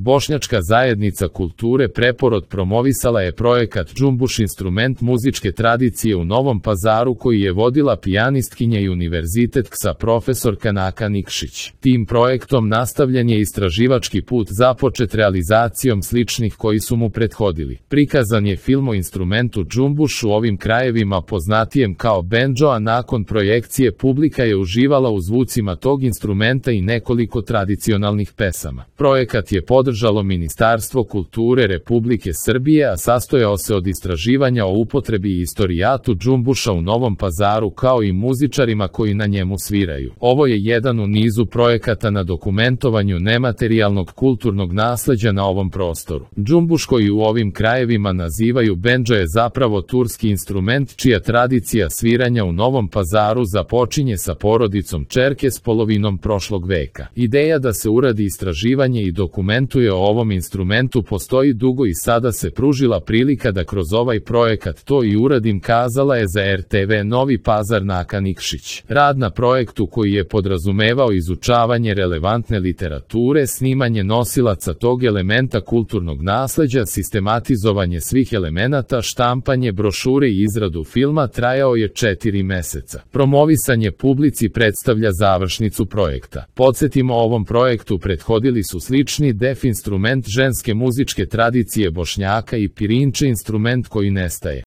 Bošnjačka zajednica kulture Preporod promovisala je projekat Džumbuš instrument muzičke tradicije u Novom Pazaru koji je vodila pijanistkinja i univerzitetka profesorka Naka Nikšić. Tim projektom nastavljen je istraživački put započet realizacijom sličnih koji su mu prethodili. Prikazan je film o instrumentu džumbuš u ovim krajevima poznatijem kao bendžo, a nakon projekcije publika je uživala u zvucima tog instrumenta i nekoliko tradicionalnih pesama. Projekat je podržalo Ministarstvo kulture Republike Srbije, a sastojao se od istraživanja o upotrebi i istorijatu džumbuša u Novom Pazaru kao i muzičarima koji na njemu sviraju. Ovo je jedan u nizu projekata na dokumentovanju nematerijalnog kulturnog nasleđa na ovom prostoru. Džumbuš koji u ovim krajevima nazivaju bendžo je zapravo turski instrument čija tradicija sviranja u Novom Pazaru započinje sa porodicom Čerke s polovinom prošlog veka. Ideja da se uradi istraživanje i dokumentuje o ovom instrumentu postoji dugo i sada se pružila prilika da kroz ovaj projekat to i uradim, kazala je za RTV Novi Pazar Naka Nikšić. Rad na projektu koji je podrazumevao izučavanje relevantne literature, snimanje nosilaca tog elementa kulturnog nasleđa, sistematizovanje svih elemenata, štampanje brošure i izradu filma trajao je 4 meseca. Promovisanje publici predstavlja završnicu projekta. Podsjetimo, ovom projektu prethodili su slični def instrument ženske muzičke tradicije Bošnjaka i pirinče instrument koji nestaje.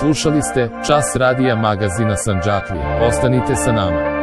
Slušali ste Čas radija magazina Sandžaklija. Ostanite sa nama.